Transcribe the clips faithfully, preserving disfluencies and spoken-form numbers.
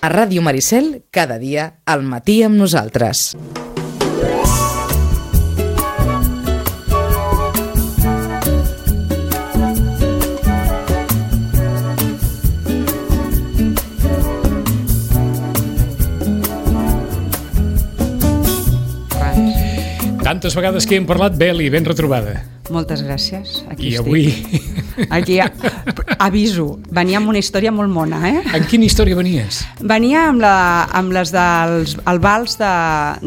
A Ràdio Maricel, cada dia, al matí amb nosaltres. Tantes vegades que hem parlat, Beli, ben retrobada. Moltes gràcies. Aquí I estic. avui... Aquí, aviso, venia amb una història molt mona, eh? En quina història venies? Venia amb, la, amb les dels el vals de,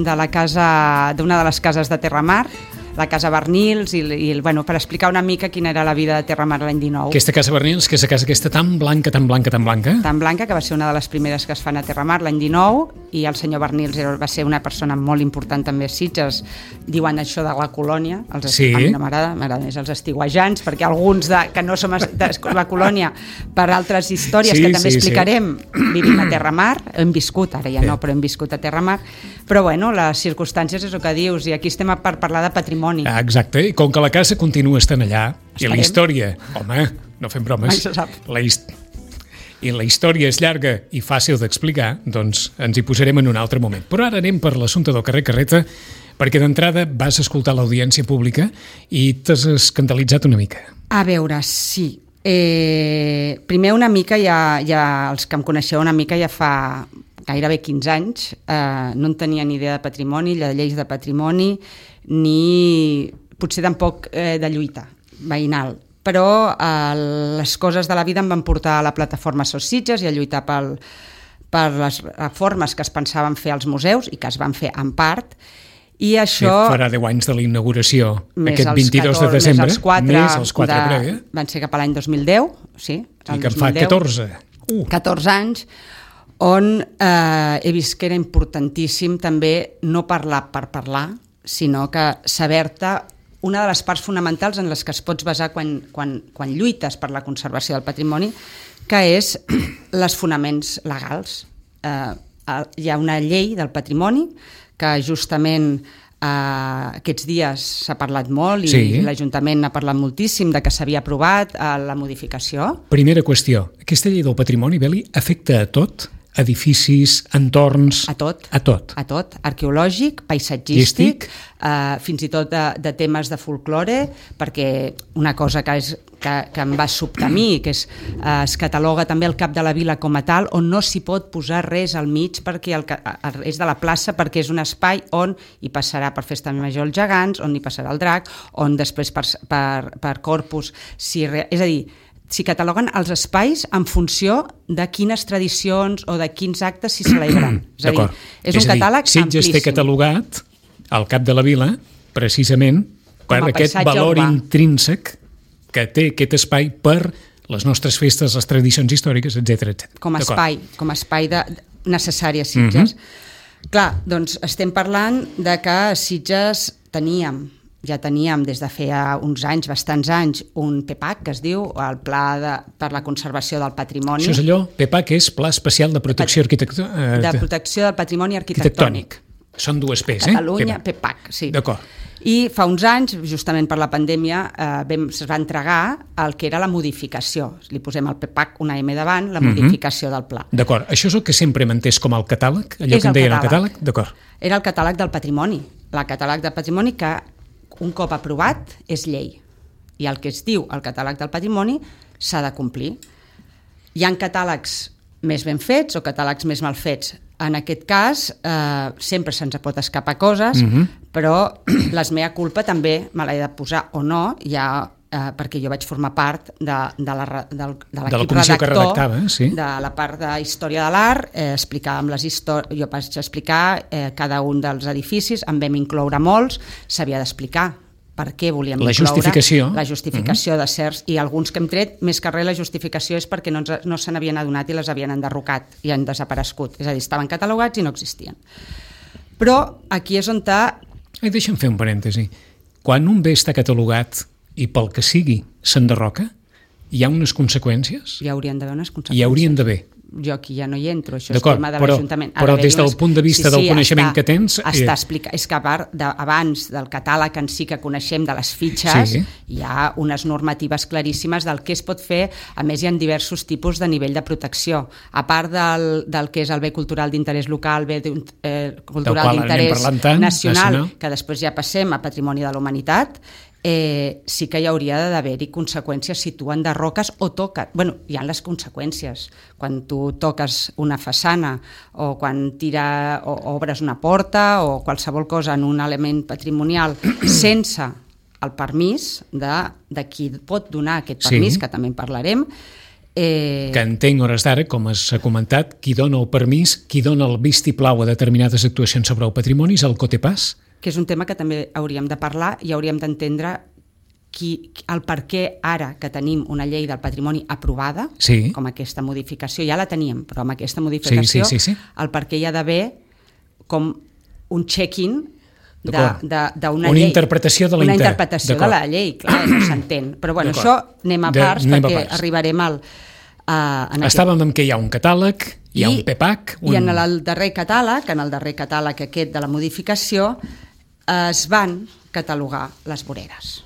de la casa, d'una de les cases de Terramar, la Casa Bernils, i, i bueno, per explicar una mica quina era la vida de Terramar l'any dinou. Aquesta Casa Bernils, que és la casa aquesta tan blanca, tan blanca, tan blanca? Tan blanca, que va ser una de les primeres que es fan a Terramar l'any dinou, i el senyor Bernils era, va ser una persona molt important també a Sitges. Diuen això de la colònia, els sí. A mi no m'agrada, m'agrada més els estiguajants, perquè alguns de, que no som de la colònia, per altres històries sí, que també sí, explicarem, sí. Vivim a Terramar, hem viscut, ara ja no, però hem viscut a Terramar, però bueno, les circumstàncies és el que dius, i aquí estem per parlar de patrimoni. Ah, exacte, i com que la casa continua estant allà, Estarem. I la història, home, no fem bromes, la hist... i la història és llarga i fàcil d'explicar, doncs ens hi posarem en un altre moment. Però ara anem per l'assumpte del carrer Carreta, perquè d'entrada vas escoltar l'audiència pública i t'has escandalitzat una mica. A veure, sí. Eh, primer una mica, ja, ja els que em coneixeu una mica ja fa gairebé quinze anys, eh, no en tenia ni idea de patrimoni, de lleis de patrimoni, ni potser tampoc eh, de lluita veïnal. Però eh, les coses de la vida em van portar a la plataforma Sos Sitges i a lluitar pel, per les reformes que es pensaven fer als museus i que es van fer en part, i això... Sí, farà deu anys de la inauguració, aquest vint-i-dos de desembre, més els quatre, més els quatre de, prèvia. Van ser cap a l'any dos mil deu, sí. I que en fa catorze. Uh. catorze anys, on eh, he vist que era importantíssim també no parlar per parlar, sinó que saber-te una de les parts fonamentals en les que es pots basar quan, quan, quan lluites per la conservació del patrimoni, que és els fonaments legals. Eh, hi ha una llei del patrimoni que justament eh, aquests dies s'ha parlat molt i sí. L'Ajuntament ha parlat moltíssim de que s'havia aprovat eh, la modificació. Primera qüestió, aquesta llei del patrimoni, Beli, afecta a tot? Edificis, entorns... A tot. A tot. A tot. Arqueològic, paisatgístic, eh, fins i tot de, de temes de folklore, perquè una cosa que, és, que, que em va sobtar a mi, que és, eh, es cataloga també el cap de la vila com a tal, on no s'hi pot posar res al mig, perquè el, és de la plaça, perquè és un espai on hi passarà per Festa Major els gegants, on hi passarà el drac, on després per, per, per Corpus... Si, és a dir, s'hi cataloguen els espais en funció de quines tradicions o de quins actes s'hi celebren. És a dir, és, és un catàleg amplíssim. Sitges té catalogat al cap de la vila, precisament, per aquest valor urbà. Intrínsec que té aquest espai per les nostres festes, les tradicions històriques, etcètera, etcètera. Com a espai, com a espai de, necessari a Sitges. Uh-huh. Clar, doncs estem parlant de que a Sitges teníem ja teníem des de feia uns anys, bastants anys, un P P A C, que es diu, el Pla de, per la Conservació del Patrimoni. Això és allò, P P A C és Pla Especial de Protecció Arquitectònica. Eh, de Protecció del Patrimoni Arquitectònic. Són dues P's, eh? Catalunya, P P A C, sí. D'acord. I fa uns anys, justament per la pandèmia, eh, es va entregar el que era la modificació. Li posem al P P A C una M davant, la modificació mm-hmm. del pla. D'acord. Això és el que sempre hem entès com el catàleg? Allò és que en deien el catàleg? D'acord. Era el catàleg del patrimoni. El catàleg del patrimoni que un cop aprovat és llei, i el que es diu el catàleg del patrimoni s'ha de complir. Hi ha catàlegs més ben fets o catàlegs més mal fets. En aquest cas eh, sempre se'ns pot escapar coses, mm-hmm. però les mea culpa també me l'he de posar o no, ja, eh, perquè jo vaig formar part de, de, la, de, de l'equip de redactor redactava, sí. de la part de Història de l'Art, eh, explicàvem les històries, jo vaig explicar eh, cada un dels edificis, en vam incloure molts, s'havia d'explicar per què volíem la incloure justificació. la justificació uh-huh. de certs, i alguns que hem tret, més que res la justificació és perquè no, ens, no se n'havien adonat i les havien enderrocat i han desaparegut, és a dir, estaven catalogats i no existien. Però aquí és on t'ha... Ai, deixa'm fer un parèntesi. Quan un bé està catalogat i pel que sigui s'enderroca, hi ha unes conseqüències? Hi haurien d'haver unes conseqüències. Hi haurien d'haver. jo aquí ja no hi entro, això és tema de l'Ajuntament. Però des del punt de vista sí, sí, del coneixement està, que tens... Està explicat. És que a part d'abans del catàleg en si que coneixem de les fitxes, sí. hi ha unes normatives claríssimes del que es pot fer. A més, hi ha diversos tipus de nivell de protecció. A part del, del que és el bé cultural d'interès local, bé eh, cultural d'interès nacional, nacional, que després ja passem a patrimoni de la humanitat, Eh, sí que hi hauria d'haver-hi conseqüències si tu enderroques o toques. Bueno, hi ha les conseqüències. Quan tu toques una façana o quan tira o obres una porta o qualsevol cosa en un element patrimonial sense el permís de, de qui pot donar aquest permís, sí. que també en parlarem, Eh... que entenc hores d'ara, com s'ha comentat, qui dona el permís, qui dona el vistiplau a determinades actuacions sobre el patrimoni és el Cotepàs, que és un tema que també hauríem de parlar i hauríem d'entendre qui, el per què ara que tenim una llei del patrimoni aprovada, sí. com aquesta modificació, ja la teníem, però amb aquesta modificació, sí, sí, sí, sí. el per què hi ha d'haver com un check-in d'una una llei. interpretació de la una interpretació de la llei, clar, no s'entén. Però bueno, això anem a parts de, perquè a parts. arribarem al... Uh, Estàvem aquest... amb que hi ha un catàleg, hi ha I, un P E P A C... Un... I en el darrer catàleg, en el darrer catàleg aquest de la modificació, es van catalogar les voreres.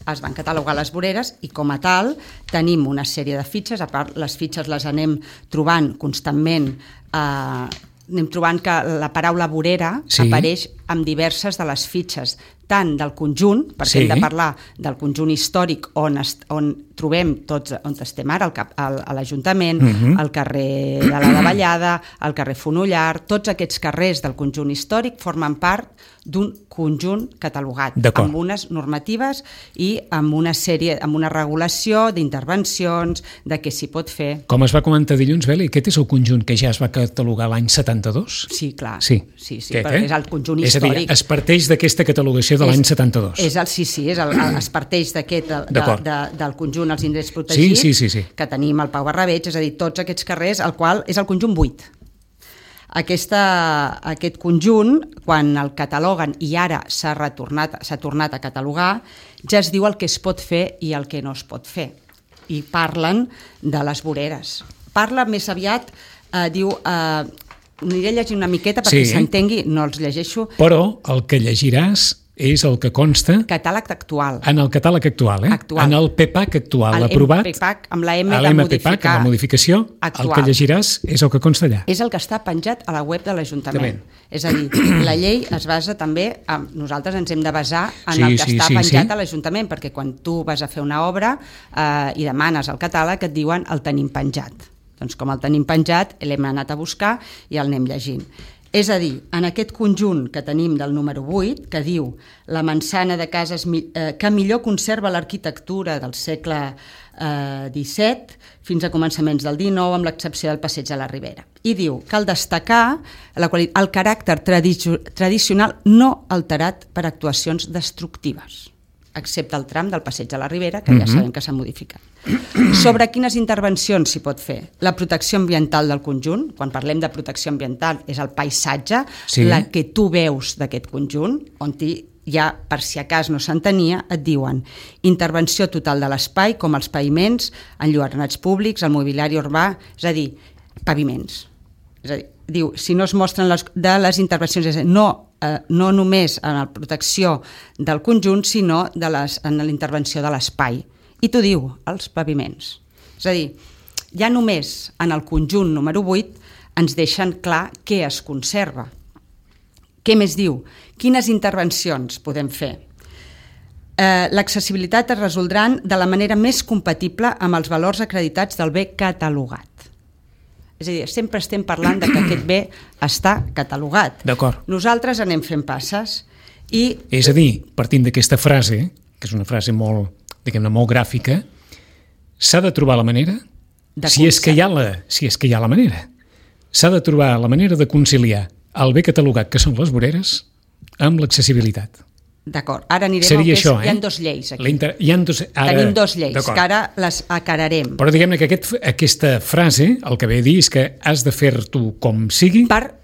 Es van catalogar les voreres i com a tal tenim una sèrie de fitxes, a part les fitxes les anem trobant constantment, eh, anem trobant que la paraula vorera sí. apareix en diverses de les fitxes, tant del conjunt, perquè sí. hem de parlar del conjunt històric on, est, on trobem tots, on estem ara, al cap, al, a l'Ajuntament, uh-huh. al carrer de la Davallada, al carrer Fonollar, tots aquests carrers del conjunt històric formen part d'un conjunt catalogat, amb unes normatives i amb una sèrie, amb una regulació d'intervencions, de què s'hi pot fer. Com es va comentar dilluns, Beli, aquest és el conjunt que ja es va catalogar l'any setanta-dos? Sí, clar. Sí, sí, sí aquest, eh? És el conjunt és històric. És a dir, es parteix d'aquesta catalogació de l'any setanta-dos. És el, sí, sí, és el, es parteix d'aquest, de, de, de, del conjunt els indrets protegits, sí, sí, sí, sí. que tenim al Pau Barrabeig, és a dir, tots aquests carrers, el qual és el conjunt vuit. Aquesta, aquest conjunt, quan el cataloguen i ara s'ha retornat, s'ha tornat a catalogar, ja es diu el que es pot fer i el que no es pot fer. I parlen de les voreres. Parla més aviat, eh, diu... Eh, aniré a llegir una miqueta perquè sí. s'entengui, no els llegeixo. Però el que llegiràs és el que consta... Catàleg actual. En el catàleg actual, eh? Actual. En el P E P A C actual, el aprovat... P E P A C, amb la M de modificar... Amb la modificació, actual. El que llegiràs és el que consta allà. És el que està penjat a la web de l'Ajuntament. És a dir, la llei es basa també... En, nosaltres ens hem de basar en sí, el que sí, està sí, penjat sí. a l'Ajuntament, perquè quan tu vas a fer una obra eh, i demanes el catàleg, et diuen el tenim penjat. Doncs com el tenim penjat, l'hem anat a buscar i el anem llegint. És a dir, en aquest conjunt que tenim del número vuit, que diu la manzana de cases eh, que millor conserva l'arquitectura del segle eh, disset fins a començaments del dinou, amb l'excepció del passeig de la Ribera. I diu, cal destacar la quali- el caràcter tradi- tradicional no alterat per actuacions destructives, excepte el tram del passeig de la Ribera, que ja sabem que s'ha modificat. Sobre quines intervencions s'hi pot fer? La protecció ambiental del conjunt, quan parlem de protecció ambiental, és el paisatge, sí. la que tu veus d'aquest conjunt, on ja, per si a cas no s'entenia, et diuen intervenció total de l'espai, com els paviments, enlluernats públics, el mobiliari urbà, és a dir, paviments. És a dir, diu, si no es mostren les, de les intervencions, és a dir, no Eh, no només en la protecció del conjunt, sinó de les, en la intervenció de l'espai. I t'ho diu, els paviments. És a dir, ja només en el conjunt número vuit ens deixen clar què es conserva. Què més diu? Quines intervencions podem fer? Eh, l'accessibilitat es resoldran de la manera més compatible amb els valors acreditats del bé catalogat. És a dir, sempre estem parlant de que aquest bé està catalogat. D'acord. Nosaltres anem fent passes i... És a dir, partint d'aquesta frase, que és una frase molt, diguem-ne, molt gràfica, s'ha de trobar la manera, si és, que hi ha la, si és que hi ha la manera, s'ha de trobar la manera de conciliar el bé catalogat, que són les voreres, amb l'accessibilitat. D'acord, ara anirem Seria al que això, és, eh? hi ha dos lleis aquí. Inter... Hi ha dos... Ara... Tenim dos lleis, que ara les acararem. Però diguem-ne que aquest, aquesta frase, el que ve a dir és que has de fer-t'ho com sigui per,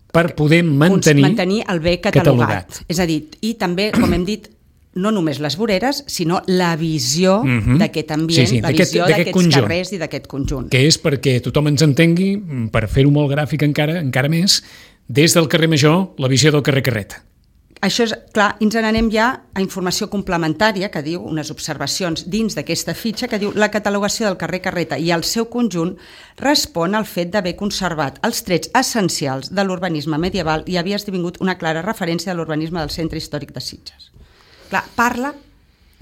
per poder mantenir, mantenir el bé catalogat. catalogat. És a dir, i també, com hem dit, no només les voreres, sinó la visió mm-hmm. d'aquest ambient, sí, sí, la visió d'aquests conjunt, carrers i d'aquest conjunt. Que és perquè tothom ens entengui, per fer-ho molt gràfic encara, encara més, des del carrer Major, la visió del carrer Carreta. Això és, clar, ens n'anem ja a informació complementària, que diu unes observacions dins d'aquesta fitxa, que diu la catalogació del carrer Carreta i el seu conjunt respon al fet d'haver conservat els trets essencials de l'urbanisme medieval i havia esdevingut una clara referència a l'urbanisme del centre històric de Sitges. Clar, parla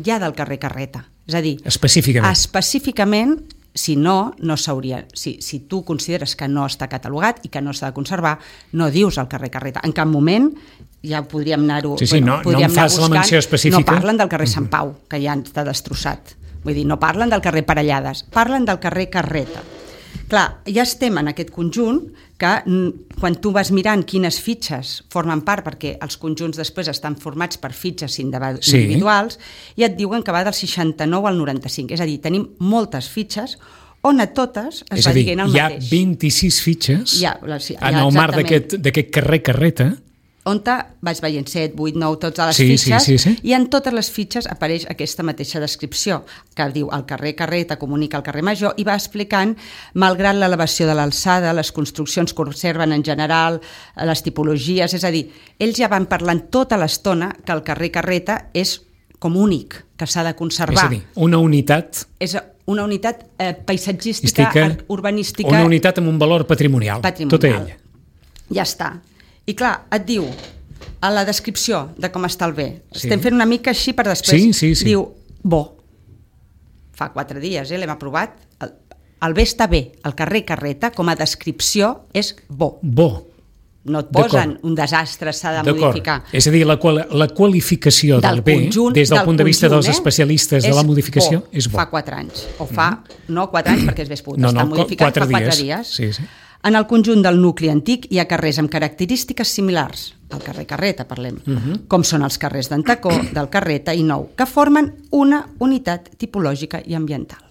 ja del carrer Carreta, és a dir, específicament, específicament si no, no s'hauria... Si, si tu consideres que no està catalogat i que no s'ha de conservar, no dius el carrer Carreta. En cap moment ja podríem anar-ho... Sí, sí, bueno, no, no em fas la menció específica. No parlen del carrer Sant Pau, que ja està destrossat. Vull dir, no parlen del carrer Parellades, parlen del carrer Carreta. Clar, ja estem en aquest conjunt que quan tu vas mirant quines fitxes formen part, perquè els conjunts després estan formats per fitxes individuals, sí. I et diuen que va del seixanta-nou al noranta-cinc. És a dir, tenim moltes fitxes on a totes es és va dir, dient el mateix. És a dir, hi ha vint-i-sis fitxes ja, sí, en el marc d'aquest carrer Carreta, on vaig veient set, vuit, nou, totes les sí, fitxes, sí, sí, sí. I en totes les fitxes apareix aquesta mateixa descripció, que diu el carrer Carreta comunica al carrer Major, i va explicant, malgrat l'elevació de l'alçada, les construccions conserven en general, les tipologies, és a dir, ells ja van parlant tota l'estona que el carrer Carreta és com únic, que s'ha de conservar. És a dir, una unitat... És una unitat eh, paisatgística, Estica, urbanística... Una unitat amb un valor patrimonial, patrimonial. Tota ella. Ja està. I clar, et diu, a la descripció de com està el bé, sí. Estem fent una mica així per després, sí, sí, sí. Diu, bo, fa quatre dies, eh, l'hem aprovat, el, el bé està bé, el carrer Carreta, com a descripció, és bo. Bo. No et posen un desastre, s'ha de modificar. És a dir, la, qual, la qualificació del, del bé, conjunt, des del, del punt de vista conjunt, dels especialistes eh? de la modificació, bo. És bo. Fa quatre anys, o fa, mm. no quatre anys, perquè és més pogut, no, està no, modificat quatre fa quatre dies. dies. Sí, sí. En el conjunt del nucli antic hi ha carrers amb característiques similars, el carrer Carreta parlem, uh-huh. com són els carrers d'Antacó, del Carreta i Nou, que formen una unitat tipològica i ambiental.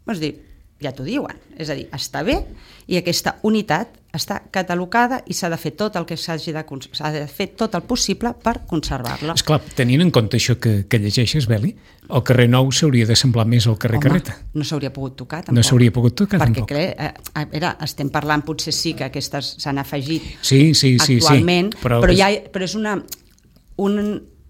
Vols dir, ja t'ho diuen, és a dir, està bé i aquesta unitat està catalogada i s'ha de fer tot el que s'hagi de, s'ha de fer tot el possible per conservar-la. Esclar, tenint en compte això que, que llegeixes, Beli, el carrer Nou s'hauria de semblar més al carrer Home, Carreta. No s'hauria pogut tocar, tampoc. No s'hauria pogut tocar, perquè, tampoc. Perquè, eh, era, estem parlant, potser sí que aquestes s'han afegit sí, sí, sí, actualment, sí, però, però, ja, però és una, un,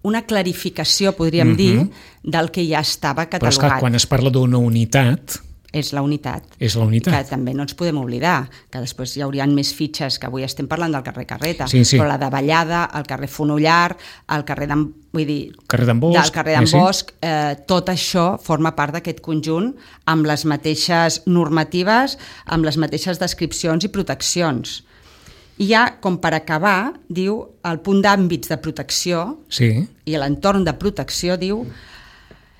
una clarificació, podríem uh-huh. dir, del que ja estava catalogat. Però esclar, quan es parla d'una unitat... És la unitat. És la unitat. Que també no ens podem oblidar, que després hi haurien més fitxes, que avui estem parlant del carrer Carreta, sí, sí. però la de Vallada, el carrer Fonollar, el carrer d'en, vull dir, carrer d'en Bosc, del carrer d'en sí, Bosc, sí. eh, tot això forma part d'aquest conjunt amb les mateixes normatives, amb les mateixes descripcions i proteccions. I ja, com per acabar, diu el punt d'àmbits de protecció sí. i l'entorn de protecció, diu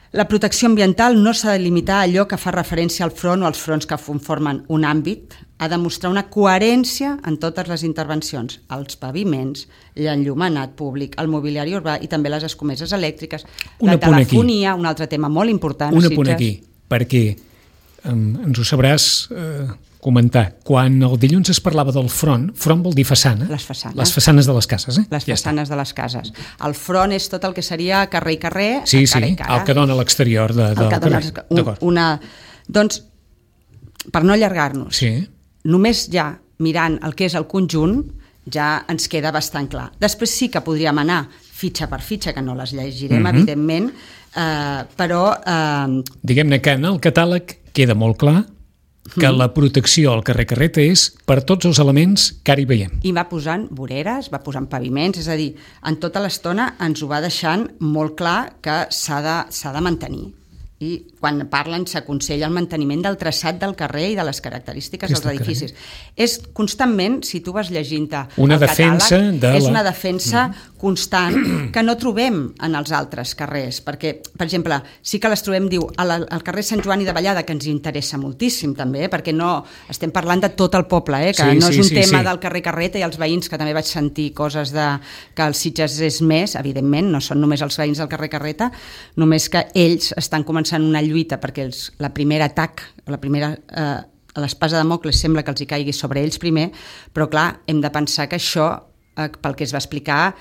la protecció ambiental no s'ha de limitar a allò que fa referència al front o als fronts que conformen un àmbit, ha de mostrar una coherència en totes les intervencions, els paviments, l'enllumenat públic, el mobiliari urbà i també les escomeses elèctriques, un la telefonia, aquí. Un altre tema molt important. Un apunt aquí, perquè um, ens ho sabràs eh, comentar. Quan el dilluns es parlava del front, front vol dir façana. Les façanes. Les façanes de les cases, eh? Les ja façanes està. De les cases. El front és tot el que seria carrer i carrer, sí, cara sí, i cara. El que dona a l'exterior de, del carrer. Un, una, doncs, per no allargar-nos, sí. només ja mirant el que és el conjunt, ja ens queda bastant clar. Després sí que podríem anar fitxa per fitxa, que no les llegirem, uh-huh. evidentment, eh, però... Eh, Diguem-ne que en el catàleg queda molt clar que la protecció al carrer Carreta és per tots els elements que ara hi veiem. I va posant voreres, va posant paviments, és a dir, en tota l'estona ens ho va deixant molt clar que s'ha de, s'ha de mantenir. I quan parlen s'aconsella el manteniment del traçat del carrer i de les característiques dels edificis. És constantment, si tu vas llegint-te una el defensa catàleg, de és la... una defensa mm. constant que no trobem en els altres carrers, perquè, per exemple, sí que les trobem, diu, al, al carrer Sant Joan i de Vallada, que ens interessa moltíssim també, eh, perquè no estem parlant de tot el poble, eh, que sí, no és sí, un sí, tema sí. del carrer Carreta i els veïns, que també vaig sentir coses de que els Sitges és més, evidentment, no són només els veïns del carrer Carreta, només que ells estan començant una lluita perquè els, la primera atac, la primera, eh, l'espasa de Mòcles sembla que els hi caigui sobre ells primer, però clar, hem de pensar que això, eh, pel que es va explicar,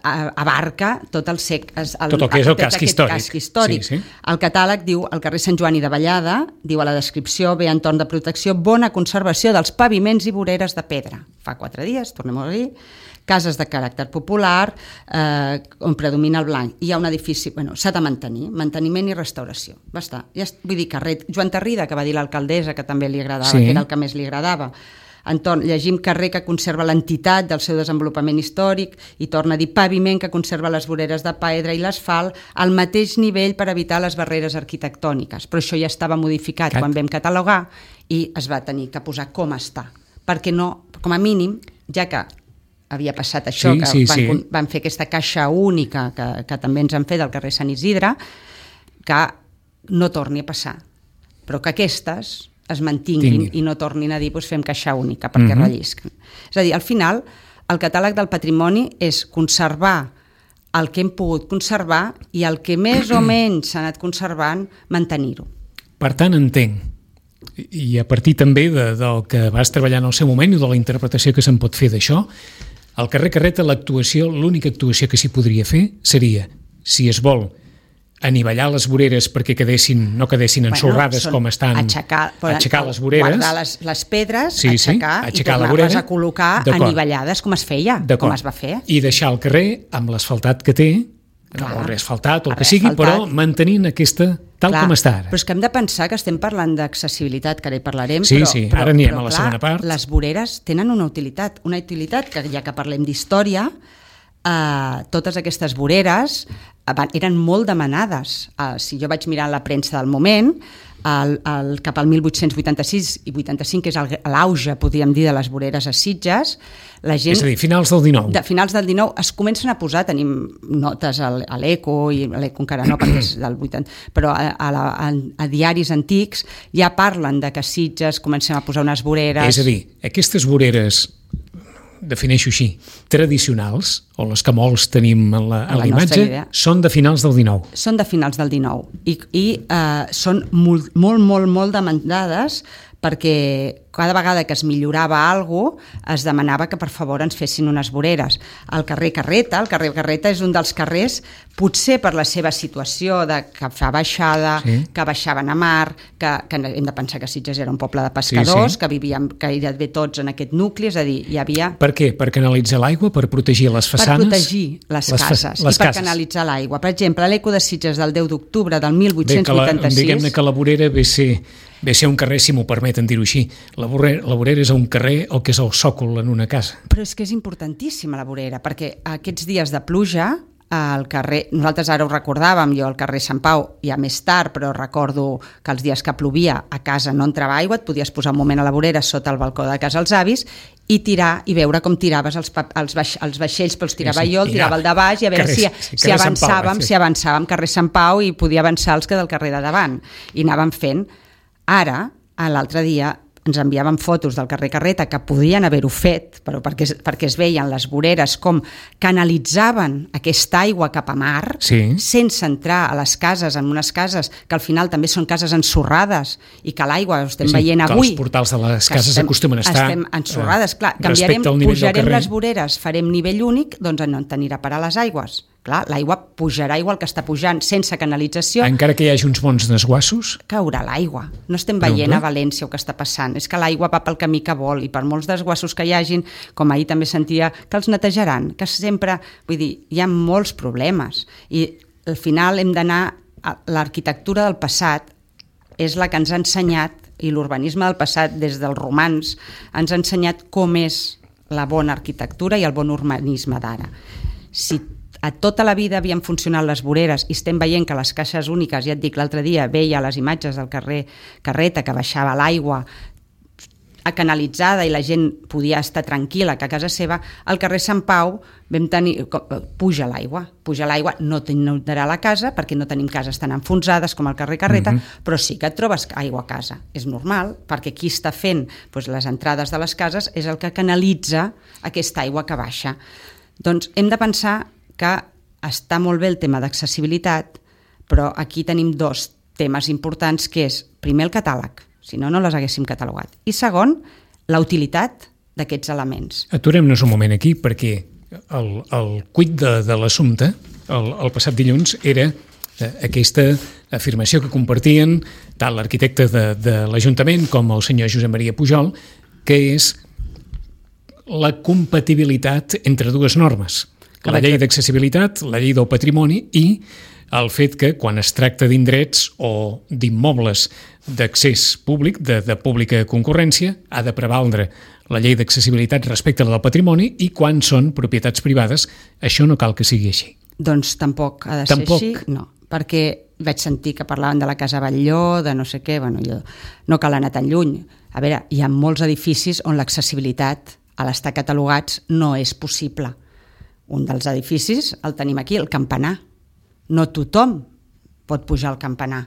abarca tot el, sec, el, tot el que és el casc històric. casc històric. Sí, sí. El catàleg diu, al carrer Sant Joan i de Vallada, diu a la descripció, bé entorn de protecció, bona conservació dels paviments i voreres de pedra. Fa quatre dies, tornem-ho a dir, cases de caràcter popular, eh, on predomina el blanc. Hi ha un edifici, bueno, s'ha de mantenir, manteniment i restauració. Va estar. Ja, vull dir, carrer Joan Tarrida, que va dir l'alcaldessa, que també li agradava, sí. que era el que més li agradava. Entorn, llegim carrer que conserva l'entitat del seu desenvolupament històric i torna a dir paviment que conserva les voreres de pedra i l'asfalt al mateix nivell per evitar les barreres arquitectòniques. Però això ja estava modificat Cat. quan vam catalogar i es va tenir que posar com està. Perquè no, com a mínim, ja que havia passat això, sí, que sí, van, sí. van fer aquesta caixa única que, que també ens han fet al carrer Sant Isidre, que no torni a passar. Però que aquestes es mantinguin Tinguin. i no tornin a dir doncs fem caixa única perquè uh-huh. rellisquen. És a dir, al final, el catàleg del patrimoni és conservar el que hem pogut conservar i el que més o menys s'ha anat conservant, mantenir-ho. Per tant, entenc, i a partir també de, del que vas treballar en el seu moment i de la interpretació que se'n pot fer d'això, al carrer Carreta l'actuació, l'única actuació que s'hi podria fer seria, si es vol, anivellar les voreres perquè quedessin, no quedessin ensorrades bueno, com estan, aixecar, aixecar les voreres, guardar les, les pedres, sí, sí, aixecar, aixecar i tornar-les a col·locar anivellades com es feia, com es va fer. I deixar el carrer amb l'asfaltat que té, Clar. o reasfaltat, o el que sigui, però mantenint aquesta tal clar, com està ara. Però és que hem de pensar que estem parlant d'accessibilitat, que ara hi parlarem, sí, però, sí, però, ara anirem però, a la clar, segona part. Les voreres tenen una utilitat, una utilitat que ja que parlem d'història, Uh, totes aquestes voreres uh, eren molt demanades. Uh, si jo vaig mirar la premsa del moment, el, el, cap al mil vuit-cents vuitanta-sis i vuitanta-cinc, que és l'auge, podríem dir, de les voreres a Sitges, la gent... És a dir, finals del dinou. De, finals del dinou es comencen a posar, tenim notes a l'Eco, i l'Eco encara no, perquè és del vuitanta, però a, a, la, a, a diaris antics ja parlen de que a Sitges comencem a posar unes voreres... És a dir, aquestes voreres, defineixo així, tradicionals, o les que molts tenim a la, a la imatge, són de finals del dinou. Són de finals del dinou i, i eh, són molt, molt, molt, molt demandades perquè cada vegada que es millorava alguna cosa es demanava que per favor ens fessin unes voreres. El carrer Carreta, el carrer Carreta és un dels carrers, potser per la seva situació de que fa baixada, sí. que baixaven a mar, que, que hem de pensar que Sitges era un poble de pescadors, sí, sí. que vivíem gairebé tots en aquest nucli, és a dir, hi havia... Per què? Per canalitzar l'aigua? Per protegir les façanes? Per protegir les, les cases les i per cases. canalitzar l'aigua. Per exemple, l'Eco de Sitges del deu d'octubre del mil vuit-cents vuitanta-sis... Bé, diguem-ne que la vorera ve ser... ve ser un carrer, si m'ho permeten dir-ho així. La vorera, la vorera és un carrer o que és el sòcol en una casa. Però és que és importantíssima la vorera, perquè aquests dies de pluja, al carrer, nosaltres ara ho recordàvem, jo al carrer Sant Pau, ja més tard, però recordo que els dies que plovia a casa no entrava aigua, et podies posar un moment a la vorera sota el balcó de casa als avis i tirar i veure com tiraves els, els, baix, els vaixells, però els tirava sí, sí. jo, el tirava el de baix i a veure carrer, si, sí, si avançàvem, Pau, si avançàvem carrer Sant Pau i podia avançar els que del carrer de davant. I anàvem fent. Ara, l'altre dia, ens enviaven fotos del carrer Carreta que podien haver-ho fet, però perquè, perquè es veien les voreres com canalitzaven aquesta aigua cap a mar, sí. sense entrar a les cases, en unes cases que al final també són cases ensorrades i que l'aigua ho estem sí, veient avui. Els portals de les cases estem, acostumen a estar... Estem ensorrades, clar. Canviarem, pujarem les voreres, farem nivell únic, doncs no en tenirà per a les aigües. Clar, l'aigua pujarà igual que està pujant sense canalització. Encara que hi hagi uns bons desguassos? Caurà l'aigua. No estem veient a València el que està passant. És que l'aigua va pel camí que vol i per molts desguassos que hi hagin, com ahir també sentia, que els netejaran, que sempre... Vull dir, hi ha molts problemes. I al final hem d'anar... L'arquitectura del passat és la que ens ha ensenyat, i l'urbanisme del passat, des dels romans, ens ha ensenyat com és la bona arquitectura i el bon urbanisme d'ara. Si a tota la vida havien funcionat les voreres i estem veient que les caixes úniques, ja et dic, l'altre dia veia les imatges del carrer Carreta que baixava l'aigua canalitzada i la gent podia estar tranquil·la que a casa seva, al carrer Sant Pau vam tenir, puja l'aigua puja l'aigua, no t'inundarà la casa perquè no tenim cases tan enfonsades com al carrer Carreta, mm-hmm. però sí que et trobes aigua a casa, és normal perquè qui està fent doncs, les entrades de les cases és el que canalitza aquesta aigua que baixa. Doncs hem de pensar que està molt bé el tema d'accessibilitat, però aquí tenim dos temes importants, que és, primer, el catàleg, si no, no les haguéssim catalogat, i segon, la utilitat d'aquests elements. Aturem-nos un moment aquí, perquè el, el cuit de, de l'assumpte, el, el passat dilluns, era eh, aquesta afirmació que compartien tant l'arquitecte de, de l'Ajuntament com el senyor Josep Maria Pujol, que és la compatibilitat entre dues normes. La llei d'accessibilitat, la llei del patrimoni i el fet que quan es tracta d'indrets o d'immobles d'accés públic, de, de pública concurrència, ha de prevaldre la llei d'accessibilitat respecte a la del patrimoni i quan són propietats privades, això no cal que sigui així. Doncs tampoc ha de tampoc. ser així, no, perquè vaig sentir que parlaven de la Casa Batlló, de no sé què, bueno, jo no cal anar tan lluny. A veure, hi ha molts edificis on l'accessibilitat a l'estar catalogats no és possible. Un dels edificis el tenim aquí, el campanar. No tothom pot pujar al campanar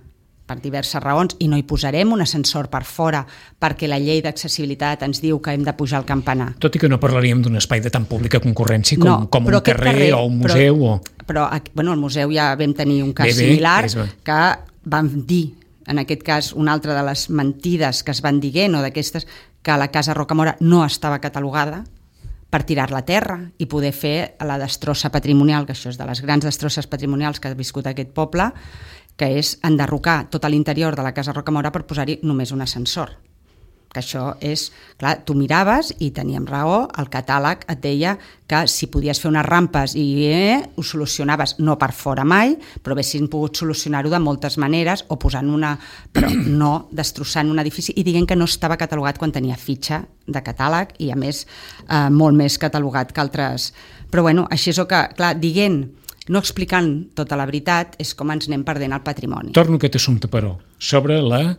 per diverses raons i no hi posarem un ascensor per fora perquè la llei d'accessibilitat ens diu que hem de pujar al campanar. Tot i que no parlaríem d'un espai de tan pública concurrència com, no, com un carrer, carrer o un museu. Però, o... però bueno, al museu ja vam tenir un cas bé, bé, similar que vam dir, en aquest cas, una altra de les mentides que es van dient o d'aquestes, que la Casa Rocamora no estava catalogada per tirar-la a terra i poder fer la destrossa patrimonial, que això és de les grans destrosses patrimonials que ha viscut aquest poble, que és enderrocar tot l'interior de la Casa Rocamora per posar-hi només un ascensor. Que això és, clar, tu miraves i teníem raó, el catàleg et deia que si podies fer unes rampes i eh, ho solucionaves, no per fora mai, però haguessin pogut solucionar-ho de moltes maneres o posant una, però no destrossant un edifici i dient que no estava catalogat quan tenia fitxa de catàleg i a més eh, molt més catalogat que altres. Però bueno, així és el que, clar, dient, no explicant tota la veritat, és com ens anem perdent el patrimoni. Torno a aquest assumpte, però, sobre la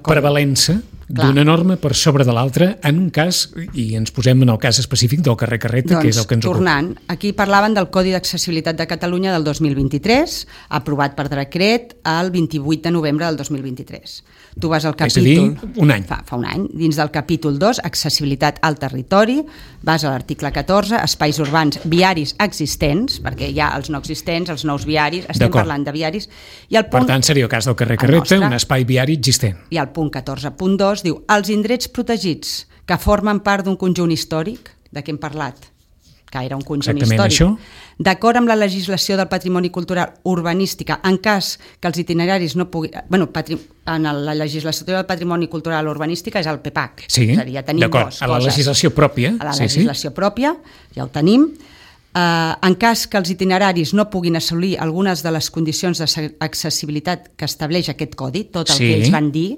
prevalença d'una norma per sobre de l'altra en un cas, i ens posem en el cas específic del carrer Carreta, doncs, que és el que ens ocupa. Tornant, aquí parlaven del Codi d'Accessibilitat de Catalunya del dos mil vint-i-tres, aprovat per decret el vint-i-vuit de novembre del dos mil vint-i-tres. Tu vas al capítol... És a dir, un any. Fa, fa un any. Dins del capítol dos, Accessibilitat al territori, vas a l'article catorze, Espais urbans viaris existents, perquè hi ha els no existents, els nous viaris, estem parlant de viaris, i el punt... Per tant, seria el cas del carrer Carreta, nostre, un espai viari existent. I el punt catorze punt dos diu els indrets protegits que formen part d'un conjunt històric, de què hem parlat? Que era un conjunt exactament històric. Això. D'acord amb la legislació del patrimoni cultural urbanística, en cas que els itineraris no puguin... Bueno, patri, en la legislació del patrimoni cultural urbanística és el P P A C. Sí, ja d'acord, a la legislació pròpia. A la sí, legislació sí. pròpia, ja ho tenim. Uh, en cas que els itineraris no puguin assolir algunes de les condicions d'accessibilitat que estableix aquest codi, tot el sí. que ells van dir,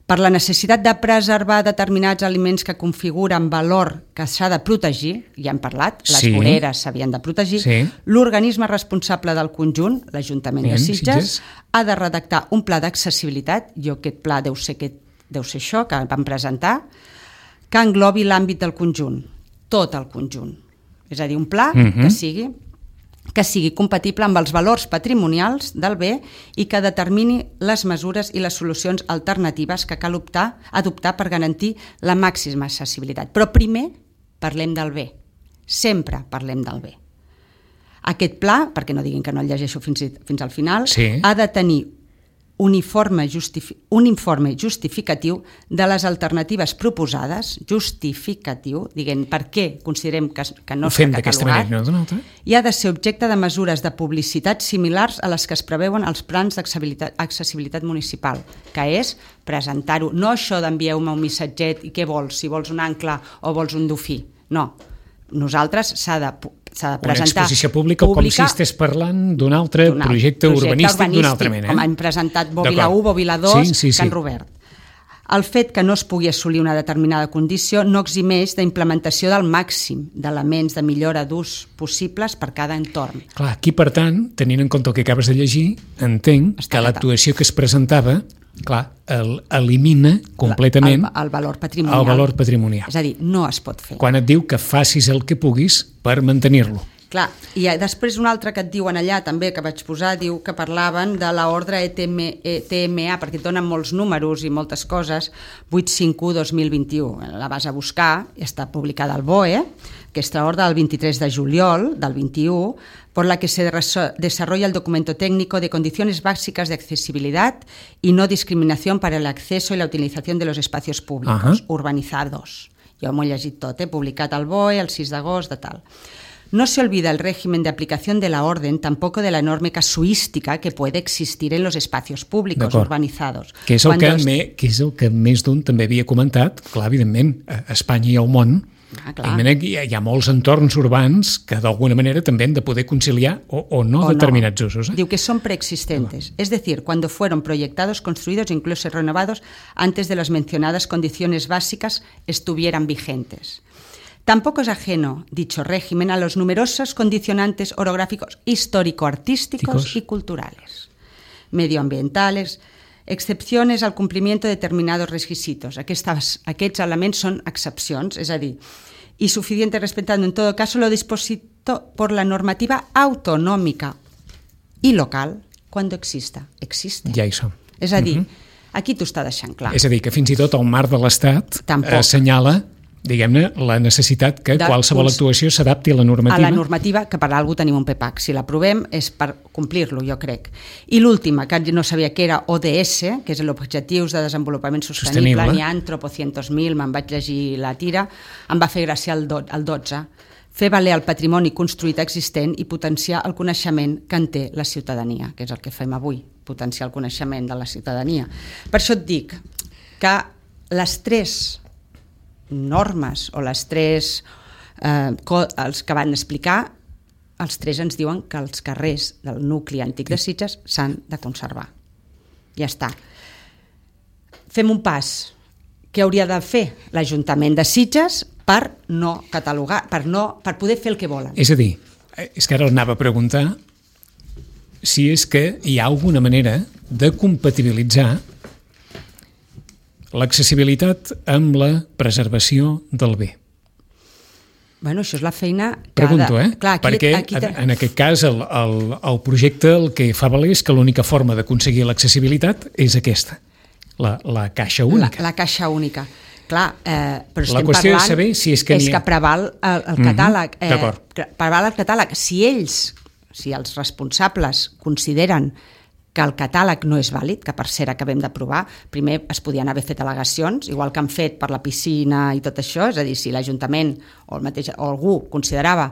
per la necessitat de preservar determinats aliments que configuren valor que s'ha de protegir, ja hem parlat, les sí. voreres s'havien de protegir, sí. l'organisme responsable del conjunt, l'Ajuntament de Sitges, Sitges, ha de redactar un pla d'accessibilitat, jo aquest pla deu ser, aquest, deu ser això que vam presentar, que englobi l'àmbit del conjunt, tot el conjunt. És a dir, un pla uh-huh. que sigui que sigui compatible amb els valors patrimonials del bé i que determini les mesures i les solucions alternatives que cal optar, adoptar per garantir la màxima accessibilitat. Però primer parlem del bé, sempre parlem del bé. Aquest pla, perquè no diguin que no el llegeixo fins, fins al final, sí. ha de tenir un informe, justifi- un informe justificatiu de les alternatives proposades, justificatiu, diguem per què considerem que, que no està catalogat, manera, no? i ha de ser objecte de mesures de publicitat similars a les que es preveuen als plans d'accessibilitat municipal, que és presentar-ho, no això d'envieu-me un missatget i què vols, si vols un ancle o vols un dofí, no. Nosaltres s'ha de, s'ha de presentar... Una exposició pública, pública com si estigués parlant d'un altre projecte, projecte urbanístic, urbanístic d'una altra mena. Eh? Com han presentat Bòbila u, Bòbila dos, sí, sí, sí. Can Robert. El fet que no es pugui assolir una determinada condició no eximeix d'implementació del màxim d'elements de millora d'ús possibles per cada entorn. Clar, aquí, per tant, tenint en compte el que acabes de llegir, entenc Està que l'actuació que es presentava clar, el, elimina completament el, el valor patrimonial. el valor patrimonial. És a dir, no es pot fer. Quan et diu que facis el que puguis per mantenir-lo. Clar, i després un altre que et diuen allà també, que vaig posar, diu que parlaven de l'ordre E T M A, perquè et donen molts números i moltes coses, vuit cinc u dos mil vint-i-u. La vas a buscar, està publicada al B O E, aquesta ordre del vint-i-tres de juliol del vint-i-u, por la que se desarrolla el documento técnico de condiciones básicas de accesibilidad y no discriminación para el acceso y la utilización de los espacios públicos uh-huh. urbanizados. Jo m'ho he llegit tot, eh? Publicat al B O E el sis d'agost de tal. No se olvida el régimen de aplicación de la orden, tampoco de la enorme casuística que puede existir en los espacios públicos urbanizados. Que és, el que, es... me, que és el que més d'un també havia comentat, clar, evidentment, a Espanya i al món, ah, hi, ha, hi ha molts entorns urbans que d'alguna manera també han de poder conciliar o, o no o determinats no. usos. Eh? Diu que son preexistentes, es decir, cuando fueron proyectados, construidos e incluso renovados antes de las mencionadas condiciones básicas estuvieran vigentes. Tampoco es ajeno dicho régimen a los numerosos condicionantes orográficos histórico-artísticos y culturales, medioambientales, excepciones al cumplimiento de determinados requisitos. Aquests, aquests elements són excepcions, és a dir, y suficiente respetando en todo caso lo dispuesto por la normativa autonómica y local cuando exista. Existe. Ja hi som. És a dir, uh-huh. aquí t'ho està deixant clar. És a dir, que fins i tot el marc de l'Estat assenyala diguem-ne, la necessitat que de, qualsevol actuació s'adapti a la normativa. A la normativa, que per alguna tenim un P PAC. Si l'aprovem és per complir-lo, jo crec. I l'última, que no sabia que era O D S, que és l'Objectius de Desenvolupament Sostenible, Sostenible. N'hi ha tropocientos mil, me'n vaig llegir la tira, em va fer gràcia el, do, el dotze. Fer valer el patrimoni construït existent i potenciar el coneixement que en té la ciutadania, que és el que fem avui, potenciar el coneixement de la ciutadania. Per això et dic que les tres normes o les tres eh, els que van explicar, els tres ens diuen que els carrers del nucli antic de Sitges s'han de conservar. Ja està. Fem un pas. Què hauria de fer l'Ajuntament de Sitges per no catalogar, per, no, per poder fer el que volen? És a dir, és que ara anava a preguntar si és que hi ha alguna manera de compatibilitzar l'accessibilitat amb la preservació del bé. Bueno, això és la feina que Pregunto, ha de... eh? Clar, aquí, perquè aquí te... en aquest cas el, el, el projecte el que fa valer és que l'única forma d'aconseguir l'accessibilitat és aquesta, la, la caixa única. La, la caixa única. Clar, eh, però estem la qüestió parlant és saber si és que, és que preval el, el mm-hmm. catàleg. Eh, D'acord. Preval el catàleg. Si ells, si els responsables consideren que el catàleg no és vàlid, que per cert acabem d'aprovar, primer es podien haver fet al·legacions, igual que han fet per la piscina i tot això, és a dir, si l'Ajuntament o, el mateix, o algú considerava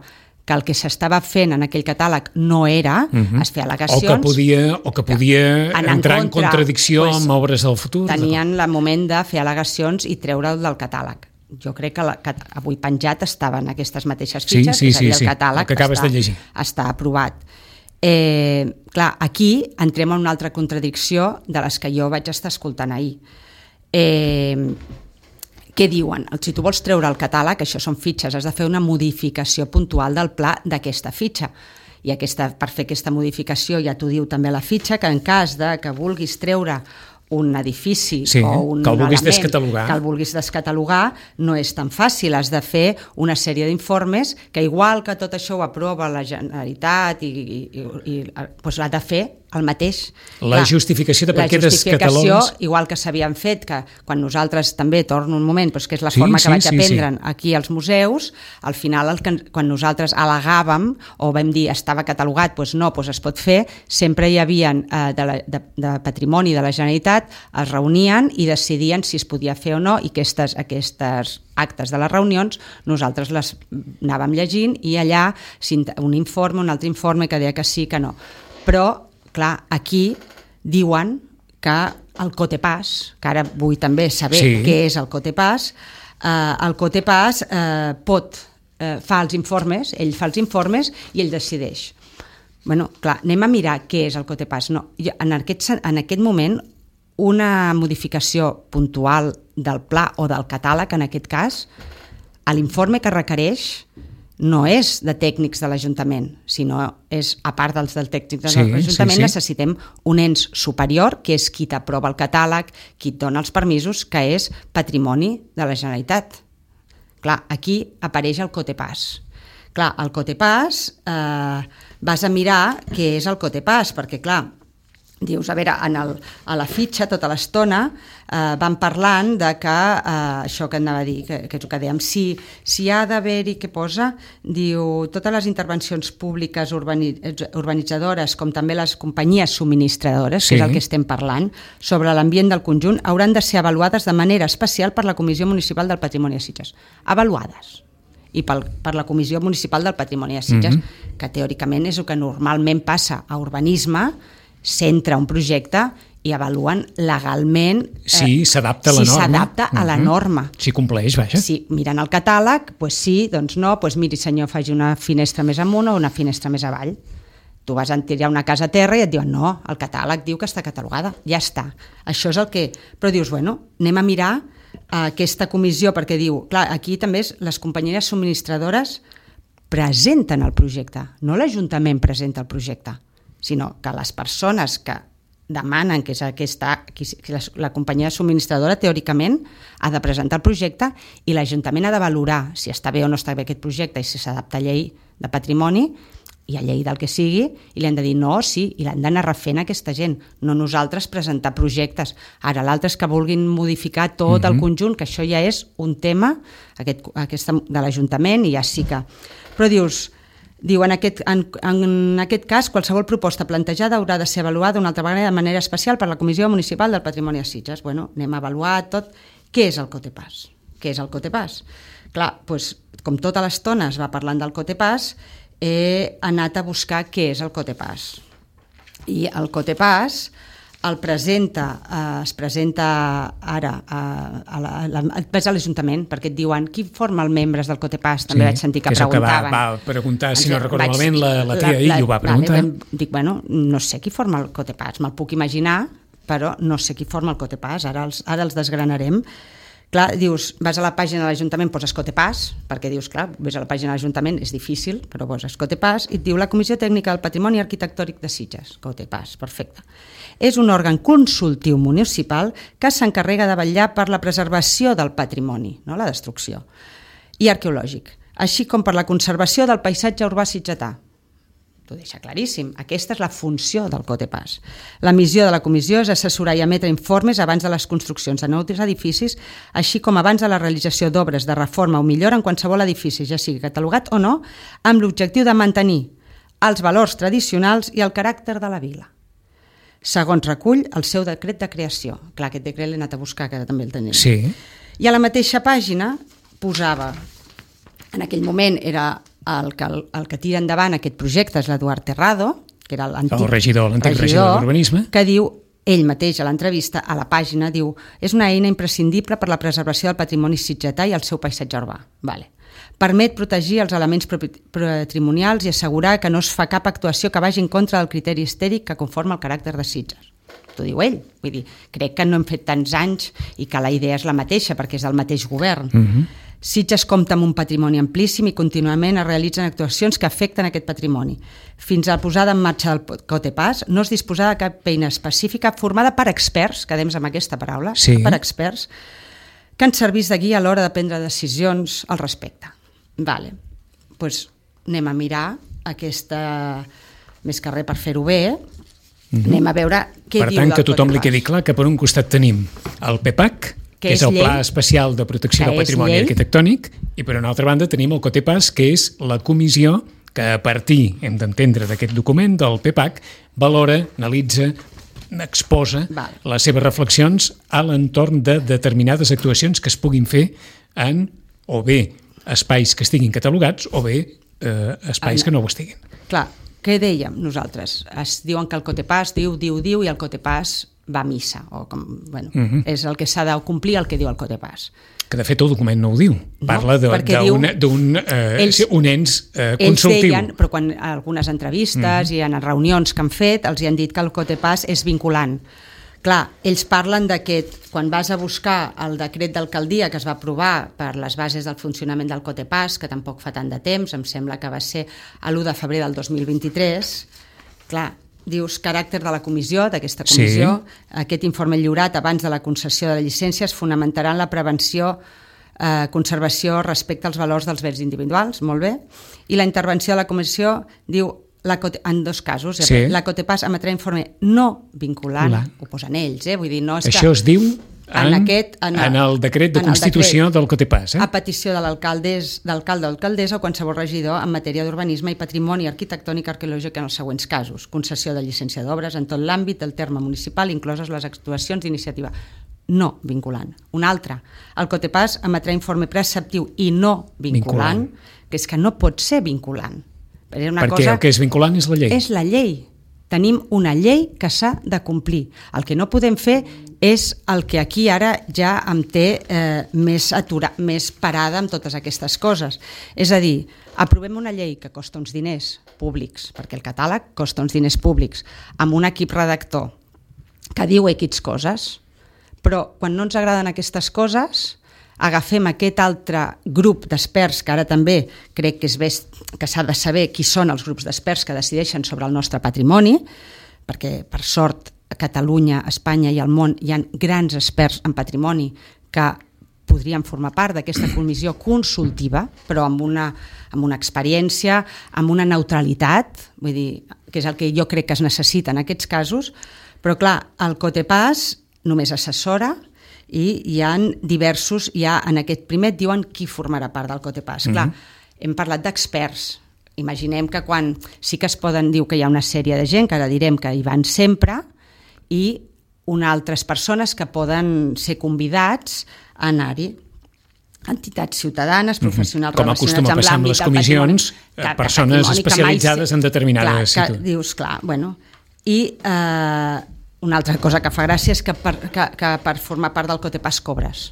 que el que s'estava fent en aquell catàleg no era, uh-huh. es feia al·legacions... O que podia, o que podia que entrar en, contra, en contradicció pues, amb obres del futur. Tenien el moment de fer al·legacions i treure'l del catàleg. Jo crec que, la, que avui penjat estaven aquestes mateixes fitxes, sí, sí, és a dir, sí, el catàleg el que acabes està, de llegir. està aprovat. Eh, clar, aquí entrem en una altra contradicció de les que jo vaig estar escoltant ahir. Eh, què diuen? Si tu vols treure el catàleg, això són fitxes, has de fer una modificació puntual del pla d'aquesta fitxa. I aquesta, per fer aquesta modificació, ja t'ho diu també la fitxa, que en cas de que vulguis treure un edifici sí, o un que el vulguis element descatalogar. que el vulguis descatalogar, no és tan fàcil. Has de fer una sèrie d'informes que, igual que tot això ho aprova la Generalitat, i, i, i, i doncs l'ha de fer el mateix. La Clar, justificació de per què descatalogues... La justificació, igual que s'havien fet, que quan nosaltres també, torno un moment, doncs que és la sí, forma que sí, vaig sí, aprendre sí. aquí als museus, al final, el que, quan nosaltres al·legàvem o vam dir estava catalogat, doncs no, doncs es pot fer, sempre hi havia eh, de, la, de, de patrimoni de la Generalitat, es reunien i decidien si es podia fer o no, i aquestes, aquestes actes de les reunions nosaltres les anàvem llegint i allà un informe, un altre informe que deia que sí, que no. Però clar, aquí diuen que el Cotepàs, que ara vull també saber sí. què és el Cotepàs, eh, el Cotepàs eh, pot, eh, fa els informes, ell fa els informes i ell decideix. Bueno, clar, anem a mirar què és el Cotepàs. No, en, aquest, en aquest moment, una modificació puntual del pla o del catàleg, en aquest cas, l'informe que requereix no és de tècnics de l'Ajuntament, sinó és, a part dels del tècnics de sí, l'Ajuntament, sí, sí. necessitem un ens superior, que és qui t'aprova el catàleg, qui et dona els permisos, que és patrimoni de la Generalitat. Clar, aquí apareix el Cotepàs. Clar, el Cotepàs, eh, vas a mirar què és el Cotepàs, perquè clar, dius, a veure, en el, a la fitxa tota l'estona eh, van parlant de que, eh, això que anava a dir, que, que és el que dèiem, si, si ha d'haver-hi, què posa, diu, totes les intervencions públiques urbani, urbanitzadores, com també les companyies subministradores, sí. que és el que estem parlant, sobre l'ambient del conjunt, hauran de ser avaluades de manera especial per la Comissió Municipal del Patrimoni de Sitges. Avaluades. I pel, per la Comissió Municipal del Patrimoni de Sitges, mm-hmm. que teòricament és el que normalment passa a urbanisme, s'entra un projecte i avaluen legalment si s'adapta a la si norma. s'adapta a la norma. Si compleix, vaja. Si miren el catàleg, doncs sí, doncs no, doncs miri senyor, faci una finestra més amunt o una finestra més avall. Tu vas a tirar una casa a terra i et diuen no, el catàleg diu que està catalogada, ja està. Això és el que... Però dius, bueno, anem a mirar aquesta comissió, perquè diu, clar, aquí també és, les companyies subministradores presenten el projecte, no l'Ajuntament presenta el projecte, sinó que les persones que demanen que és aquesta, que la, la companyia subministradora teòricament ha de presentar el projecte i l'Ajuntament ha de valorar si està bé o no està bé aquest projecte i si s'adapta a llei de patrimoni i a llei del que sigui, i li han de dir no, sí, i l'han d'anar refent aquesta gent, no nosaltres presentar projectes. Ara l'altre és que vulguin modificar tot mm-hmm. el conjunt, que això ja és un tema aquest, aquesta, de l'Ajuntament i ja sí que... Però dius... Diu, en aquest, en, en aquest cas, qualsevol proposta plantejada haurà de ser avaluada una altra vegada de manera especial per la Comissió Municipal del Patrimoni de Sitges. Bueno, anem a avaluar tot. Què és el Cotepàs? Què és el Cotepàs? Clar, doncs, com tota l'estona es va parlant del Cotepàs, he anat a buscar què és el Cotepàs. I el Cotepàs el presenta, eh, es presenta ara a, a, la, a, la, a l'Ajuntament, perquè et diuen qui forma els membres del Cotepàs, també sí, vaig sentir que, que preguntaven. Que va, va preguntar, si no recordo malament, la, la tia la, la, i ho va preguntar. Vale, dic, bueno, no sé qui forma el Cotepàs, me'l puc imaginar, però no sé qui forma el Cotepàs, ara els, ara els desgranarem. Clar, dius, vas a la pàgina de l'Ajuntament, poses Cotepàs, perquè dius, clar, ves a la pàgina de l'Ajuntament, és difícil, però poses Cotepàs, i et diu la Comissió Tècnica del Patrimoni Arquitectònic de Sitges. Cotepàs, perfecte. És un òrgan consultiu municipal que s'encarrega de vetllar per la preservació del patrimoni, no la destrucció, i arqueològic, així com per la conservació del paisatge urbà sitgetà. T'ho deixa claríssim. Aquesta és la funció del Cotepàs. La missió de la comissió és assessorar i emetre informes abans de les construccions de nous edificis, així com abans de la realització d'obres de reforma o millora en qualsevol edifici, ja sigui catalogat o no, amb l'objectiu de mantenir els valors tradicionals i el caràcter de la vila. Segons recull el seu decret de creació. Clar, aquest decret l'he anat a buscar, que també el tenim. Sí. I a la mateixa pàgina posava, en aquell moment era el que, el, el que tira endavant aquest projecte és l'Eduard Terrado, que era l'antic el regidor, l'antic regidor, regidor d'Urbanisme, que diu, ell mateix a l'entrevista, a la pàgina, diu, és una eina imprescindible per la preservació del patrimoni sitgetà i el seu paisatge urbà. Vale. Permet protegir els elements patrimonials i assegurar que no es fa cap actuació que vagi en contra del criteri estètic que conforma el caràcter de Sitges. T'ho diu ell. Vull dir, crec que no hem fet tants anys i que la idea és la mateixa perquè és del mateix govern. Mm-hmm. Sitges compta amb un patrimoni amplíssim i contínuament es realitzen actuacions que afecten aquest patrimoni. Fins a la posada en marxa del Cotepàs no es disposava de cap eina específica formada per experts, quedem amb aquesta paraula, sí. per experts, que ens servís de guia a l'hora de prendre decisions al respecte. Vale. Pues anem a mirar aquesta, més que res per fer-ho bé, mm-hmm. anem a veure què per diu del Cotepàs. Per tant, que tothom li quedi clar que per un costat tenim el P P A C, que, que és el llei, Pla Especial de Protecció del Patrimoni Arquitectònic, i per una altra banda tenim el Cotepàs, que és la comissió que a partir, hem d'entendre d'aquest document, del P P A C, valora, analitza, exposa Val. les seves reflexions a l'entorn de determinades actuacions que es puguin fer en, o bé, espais que estiguin catalogats, o bé, eh, espais en, que no ho estiguin. Clar, què dèiem nosaltres? Es diuen que el Cotepàs diu, diu, diu, i el Cotepàs va a missa, o com, bueno, uh-huh. és el que s'ha de complir el que diu el Cotepàs. Que de fet el document no ho diu, parla no, d'un eh, un ens eh, consultiu. Ells deien, però quan a algunes entrevistes uh-huh. i en reunions que han fet els hi han dit que el Cotepàs és vinculant. Clar, ells parlen d'aquest, quan vas a buscar el decret d'alcaldia que es va aprovar per les bases del funcionament del Cotepàs, que tampoc fa tant de temps, em sembla que va ser l'u de febrer del dos mil vint-i-tres, clar, dius caràcter de la comissió, d'aquesta comissió, sí. Aquest informe lliurat abans de la concessió de la llicència es fonamentarà en la prevenció, eh, conservació respecte als valors dels béns individuals, molt bé, i la intervenció de la comissió diu la Cote, en dos casos, sí. la Cotepas emetrà informe no vinculant, la. ho posen ells, eh? Vull dir, no és Això que, es diu en, en, aquest, en, en el decret de constitució decret, del Cotepas. Eh? A petició de l'alcalde d'alcalde o alcaldessa o qualsevol regidor en matèria d'urbanisme i patrimoni arquitectònic i arqueològic en els següents casos. Concessió de llicència d'obres en tot l'àmbit del terme municipal, incloses les actuacions d'iniciativa no vinculant. Un altre, el Cotepas emetrà informe preceptiu i no vinculant, vinculant, que és que no pot ser vinculant. Una Perquè cosa, el que és vinculant és la llei. És la llei. Tenim una llei que s'ha de complir. El que no podem fer és el que aquí ara ja em té eh, més, atura, més parada amb totes aquestes coses. És a dir, aprovem una llei que costa uns diners públics, perquè el catàleg costa uns diners públics, amb un equip redactor que diu X coses, però quan no ens agraden aquestes coses agafem aquest altre grup d'experts, que ara també crec que és bé que s'ha de saber qui són els grups d'experts que decideixen sobre el nostre patrimoni, perquè per sort a Catalunya, a Espanya i al món hi ha grans experts en patrimoni que podrien formar part d'aquesta comissió consultiva, però amb una, amb una experiència, amb una neutralitat, vull dir, que és el que jo crec que es necessita en aquests casos, però clar, el Cotepas només assessora i hi ha diversos, hi ha, en aquest primer et diuen qui formarà part del Cotepas. Mm-hmm. Clar, hem parlat d'experts. Imaginem que quan sí que es poden dir que hi ha una sèrie de gent, que ara direm que hi van sempre, i unes altres persones que poden ser convidats a anar-hi. Entitats ciutadanes, professionals mm-hmm. relacionats amb l'àmbit. Com acostuma a passar amb les comissions, que, persones que especialitzades mai, en determinades situacions. Clar, dius, clar, bueno, i eh, una altra cosa que fa gràcia és que per, que, que per formar part del Cotepas cobres.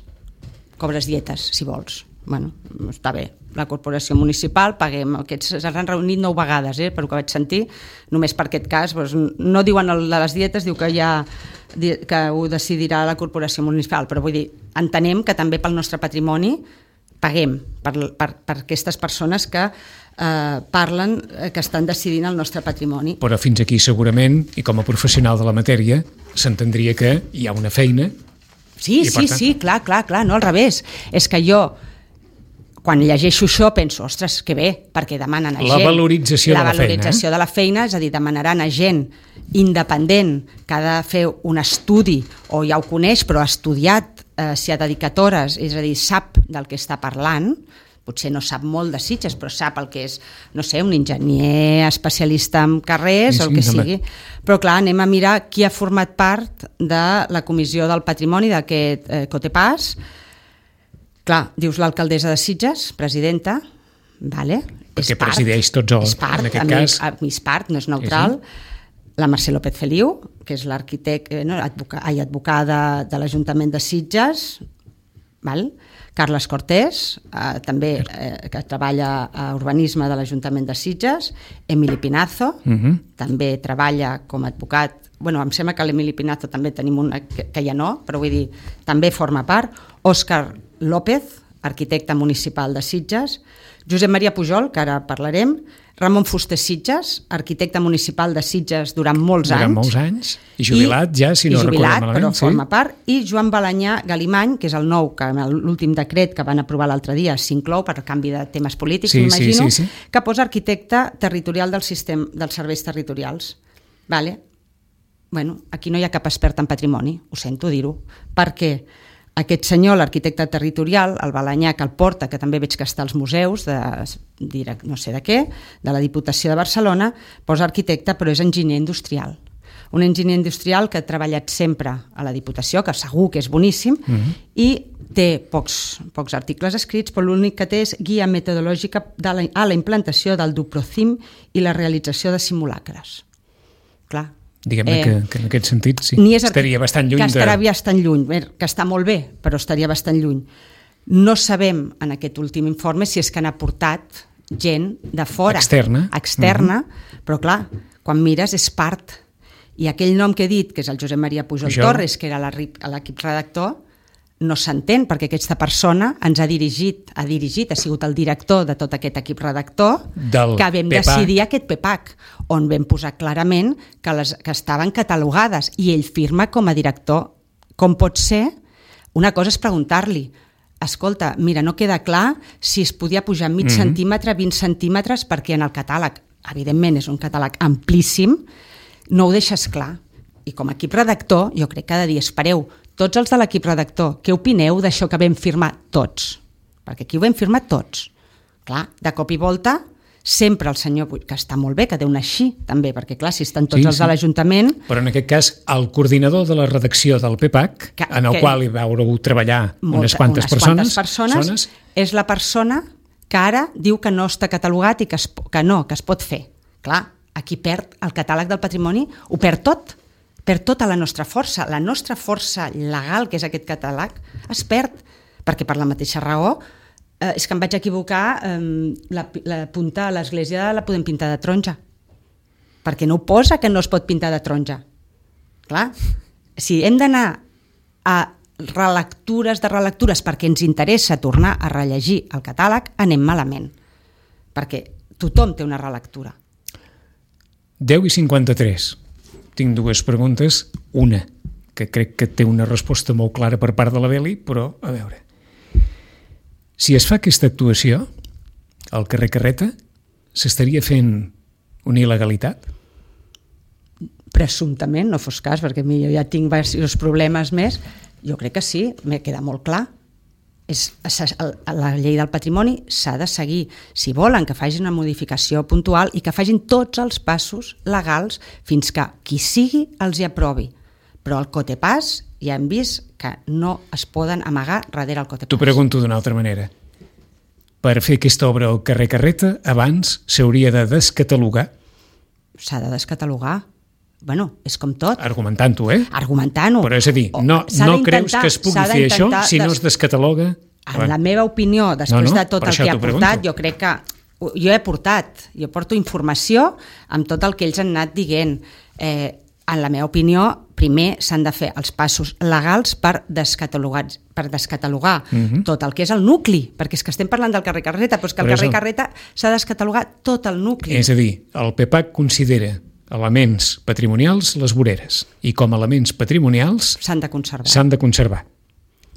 Cobres dietes, si vols. Bueno, està bé. La corporació municipal, paguem. Aquests s'han reunit nou vegades, eh, per ho que vaig sentir. Només per aquest cas, doncs, no diuen el de les dietes, diu que ja que ho decidirà la corporació municipal, però vull dir, entenem que també pel nostre patrimoni paguem per, per, per aquestes persones que eh, parlen, que estan decidint el nostre patrimoni. Però fins aquí segurament, i com a professional de la matèria, s'entendria que hi ha una feina. Sí, sí, tant... sí, clar, clar, clar, no al revés. És que jo, quan llegeixo això, penso, ostres, que bé, perquè demanen a la gent... Valorització la de la valorització feina, de la feina, és a dir, demanaran a gent independent que ha de fer un estudi, o ja ho coneix, però ha estudiat, eh, s'hi ha dedicat hores, és a dir, sap del que està parlant, potser no sap molt de Sitges, però sap el que és, no sé, un enginyer especialista en carrers, sí, sí, o el que sigui. Però clar, anem a mirar qui ha format part de la Comissió del Patrimoni d'aquest eh, Cotepas. Clar, dius l'alcaldessa de Sitges, presidenta, vale, perquè és part, presideix tots els, és part, en aquest a mi, cas. A mi és part, no és neutral. Sí, sí. La Mercè López Feliu, que és l'arquitecte, no, advoca, ai, advocada de l'Ajuntament de Sitges, val? Carles Cortés, eh, també eh, que treballa a urbanisme de l'Ajuntament de Sitges, Emili Pinazo, uh-huh. també treballa com a advocat, bueno, em sembla que l'Emili Pinazo també tenim una, que, que ja no, però vull dir, també forma part, Òscar López, arquitecte municipal de Sitges, Josep Maria Pujol, que ara parlarem, Ramon Fuster Sitges, arquitecte municipal de Sitges durant molts durant anys. Durant molts anys, i jubilat i, ja, si no recordem malament. Però sí. forma part, i Joan Balanyà Galimany, que és el nou, que l'últim decret que van aprovar l'altre dia s'inclou per canvi de temes polítics, sí, m'imagino, sí, sí, sí. que posa arquitecte territorial del sistema dels serveis territorials. Vale? Bueno, aquí no hi ha cap expert en patrimoni, ho sento dir-ho, perquè aquest senyor, l'arquitecte territorial, el Balanyà, que el porta, que també veig que està als museus, de, no sé de què, de la Diputació de Barcelona, posa arquitecte, però és enginyer industrial. Un enginyer industrial que ha treballat sempre a la Diputació, que segur que és boníssim, uh-huh. i té pocs, pocs articles escrits, però l'únic que té és guia metodològica de la, a la implantació del Duprocim i la realització de simulacres. Clar, diguem-ne eh, que, que en aquest sentit sí, estaria bastant lluny. Que estaria de... bastant lluny, que està molt bé, però estaria bastant lluny. No sabem en aquest últim informe si és que han aportat gent de fora. Externa. Externa, uh-huh. però clar, quan mires és part. I aquell nom que he dit, que és el Josep Maria Pujol jo... Torres, que era l'equip redactor, no s'entén, perquè aquesta persona ens ha dirigit, ha dirigit, ha sigut el director de tot aquest equip redactor, del que vam P P A C. decidir aquest P P A C, on vam posar clarament que, les, que estaven catalogades, i ell firma com a director. Com pot ser? Una cosa és preguntar-li, escolta, mira, no queda clar si es podia pujar mig mm-hmm. centímetre, vint centímetres, perquè en el catàleg evidentment és un catàleg amplíssim, no ho deixes clar. I com a equip redactor, jo crec que cada dia espereu, tots els de l'equip redactor, què opineu d'això que vam firmar tots? Perquè aquí ho vam firmar tots. Clar, de cop i volta, sempre el senyor, que està molt bé, que deu anar així, també, perquè clar, si estan tots sí, els sí. de l'Ajuntament... Però en aquest cas, el coordinador de la redacció del P P A C, que, en el que, qual hi veureu treballar molta, unes quantes unes persones, quantes persones zones, és la persona que ara diu que no està catalogat i que, es, que no, que es pot fer. Clar, aquí perd el catàleg del patrimoni, ho perd tot, perd tota la nostra força. La nostra força legal, que és aquest catàleg, es perd, perquè per la mateixa raó Eh, és que em vaig equivocar, eh, la, la punta a l'església la podem pintar de taronja, perquè no ho posa que no es pot pintar de taronja. Clar, si hem d'anar a relectures de relectures perquè ens interessa tornar a rellegir el catàleg, anem malament, perquè tothom té una relectura. deu i cinquanta-tres. Tinc dues preguntes. Una, que crec que té una resposta molt clara per part de la Beli, però, a veure... Si es fa aquesta actuació, al carrer Carreta, s'estaria fent una il·legalitat? Presumptament, no fos cas, perquè jo ja tinc diversos problemes més. Jo crec que sí, m'he quedat molt clar. És, la llei del patrimoni s'ha de seguir. Si volen que facin una modificació puntual i que facin tots els passos legals fins que qui sigui els hi aprovi. Però el cotepàs ja hem vist que no es poden amagar darrere el cotepàs. T'ho pregunto d'una altra manera. Per fer aquesta obra al carrer Carreta, abans s'hauria de descatalogar? S'ha de descatalogar. Bueno, és com tot. Argumentant-ho, eh? Argumentant-ho. Però és a dir, no, no creus que es pugui fer això si no es descataloga? En la meva opinió, després no, no, de tot el que ha portat, jo crec que... Jo he portat, jo porto informació amb tot el que ells han anat dient. Eh, en la meva opinió, primer s'han de fer els passos legals per descatalogar, per descatalogar uh-huh. tot el que és el nucli, perquè és que estem parlant del carrer Carreta, però és que el carrer Carreta s'ha de descatalogar tot el nucli. És a dir, el P P A C considera elements patrimonials les voreres i com a elements patrimonials s'han de conservar. S'han de conservar.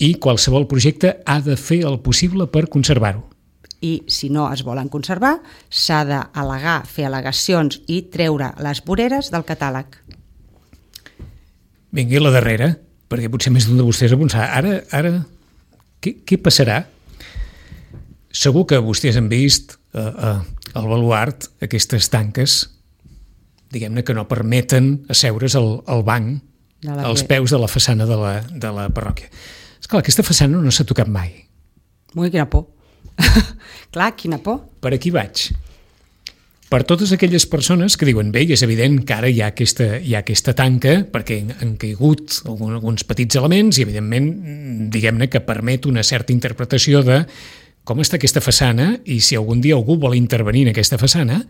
I qualsevol projecte ha de fer el possible per conservar-ho. I si no es volen conservar, s'ha d'al·legar, fer al·legacions i treure les voreres del catàleg. Vingui a la darrera, perquè potser més d'un de vostès a pensar, ara, ara què, què passarà? Segur que vostès han vist eh, eh, al baluart aquestes tanques, diguem-ne que no permeten asseure's al, al banc, als peus de la façana de la, de la parròquia. Esclar, aquesta façana no s'ha tocat mai. Ui, quina por. Clar, quina por. Per aquí vaig. Per totes aquelles persones que diuen, bé, és evident que ara hi ha aquesta, hi ha aquesta tanca perquè han caigut alguns petits elements i, evidentment, diguem-ne que permet una certa interpretació de com està aquesta façana i si algun dia algú vol intervenir en aquesta façana,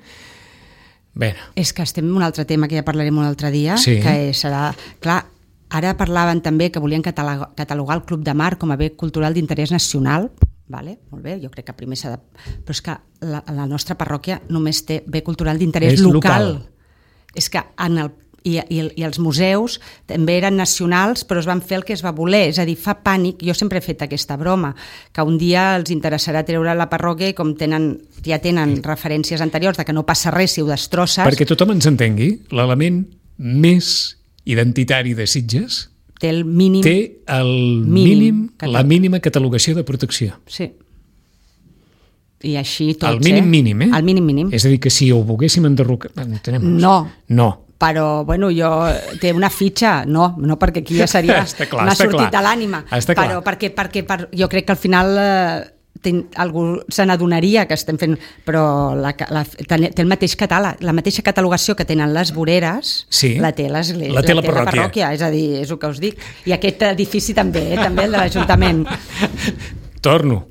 bé... És que estem en un altre tema que ja parlarem un altre dia, sí. Que serà... Clar, ara parlaven també que volien catalogar el Club de Mar com a bé cultural d'interès nacional. Vale, molt bé, jo crec que primer s'ha de... Però és que la, la nostra parròquia només té bé cultural d'interès local. local. És que en el, i, i, i els museus també eren nacionals, però es van fer el que es va voler. És a dir, fa pànic, jo sempre he fet aquesta broma, que un dia els interessarà treure la parròquia i com tenen, ja tenen referències anteriors de que no passa res si ho destrosses... Perquè tothom ens entengui, l'element més identitari de Sitges... Té el mínim... Té el mínim, mínim la mínima catalogació de protecció. Sí. I així tots, el mínim eh? mínim, eh? El mínim mínim. És a dir, que si ho volguéssim enderrocar... No. No. Però, bueno, jo... Té una fitxa, no, no perquè aquí ja seria clar, una sortit de l'ànima. Està clar. Però perquè, perquè per, jo crec que al final... Eh, ten, algú se n'adonaria que estem fent, però la, la, té el mateix catàleg, la mateixa catalogació que tenen les voreres, sí, la té l'església, la té la, la, parròquia. la parròquia, és a dir, és el que us dic. I aquest edifici també, eh, també el de l'Ajuntament. Torno.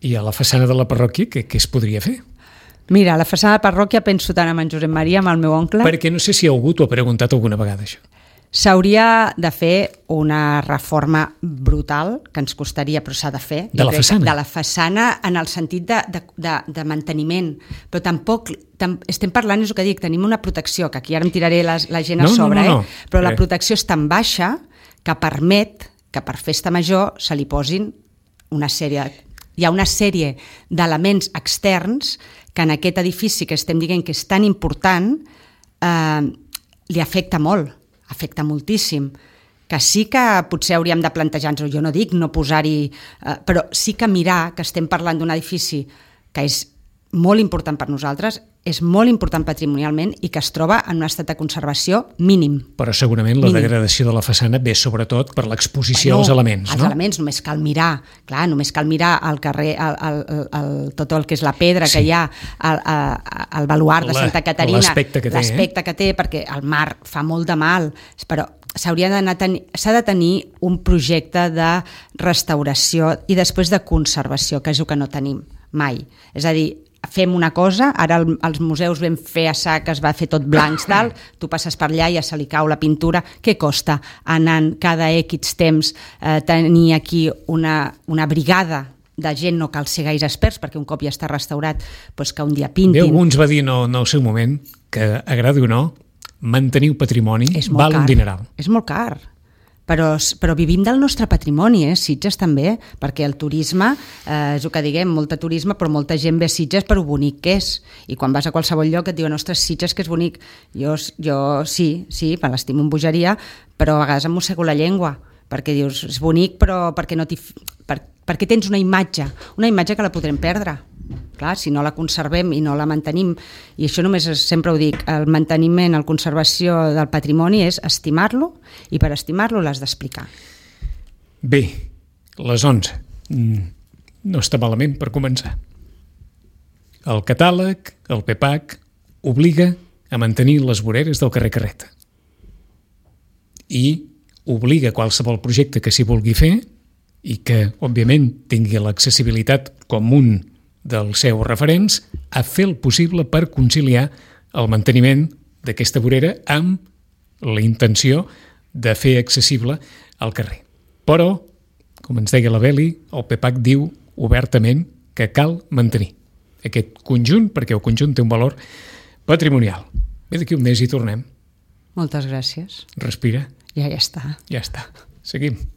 I a la façana de la parròquia, què, què es podria fer? Mira, a la façana de la parròquia penso tant amb en Josep Maria, amb el meu oncle... Perquè no sé si algú t'ho ha preguntat alguna vegada, això. S'hauria de fer una reforma brutal, que ens costaria, però s'ha de fer. De la façana? De la façana en el sentit de, de, de, de manteniment. Però tampoc, tam, estem parlant, és el que dic, tenim una protecció, que aquí ara em tiraré les, la gent a no, sobre, no, no, no. Eh? Però la protecció és tan baixa que permet que per festa major se li posin una sèrie... Hi ha una sèrie d'elements externs que en aquest edifici que estem dient que és tan important eh, li afecta molt, afecta moltíssim, que sí que potser hauríem de plantejar-nos, jo no dic no posar-hi, eh, però sí que mirar que estem parlant d'un edifici que és molt important per nosaltres, és molt important patrimonialment i que es troba en un estat de conservació mínim. Però segurament la mínim. degradació de la façana ve sobretot per l'exposició bueno, als elements, els no? Els elements, només cal mirar, clar, només cal mirar al carrer, el, el, el, el, tot el que és la pedra sí. que hi ha, el, el baluart de Santa Caterina, l'aspecte que té, l'aspecte eh? que té, perquè el mar fa molt de mal, però s'hauria d'anar s'ha de tenir un projecte de restauració i després de conservació, que és el que no tenim mai. És a dir, fem una cosa, ara el, els museus vam fer a sac, es va fer tot blancs dalt, tu passes per allà i ja se li cau la pintura, què costa anant cada X temps eh, tenir aquí una, una brigada de gent, no cal ser gaire experts perquè un cop ja està restaurat, doncs que un dia pintin. Bé, algú ens va dir no, no al seu moment que, agradi o no, mantenir el patrimoni val car. un dineral. És molt car. Però, però vivim del nostre patrimoni, eh? Sitges també, perquè el turisme, eh, és el que diguem, molta turisme, però molta gent ve a Sitges per ho bonic que és. I quan vas a qualsevol lloc et diuen, ostres, Sitges que és bonic. Jo, jo sí, sí, me l'estimo en bogeria, però a vegades em mossego la llengua, perquè dius, és bonic, però perquè, no per, perquè tens una imatge, una imatge que la podrem perdre. Clar, si no la conservem i no la mantenim, i això només sempre ho dic, el manteniment, la conservació del patrimoni és estimar-lo, i per estimar-lo l'has d'explicar. Bé, les onze. No està malament per començar. El catàleg, el P P A C, obliga a mantenir les voreres del carrer Carreta. I obliga qualsevol projecte que s'hi vulgui fer i que, òbviament, tingui l'accessibilitat com un dels seus referents, a fer el possible per conciliar el manteniment d'aquesta vorera amb la intenció de fer accessible al carrer. Però, com ens deia la Beli, el P P A C diu obertament que cal mantenir aquest conjunt, perquè el conjunt té un valor patrimonial. Bé, d'aquí un mes hi tornem. Moltes gràcies. Respira. Ja, ja està. Ja està. Seguim.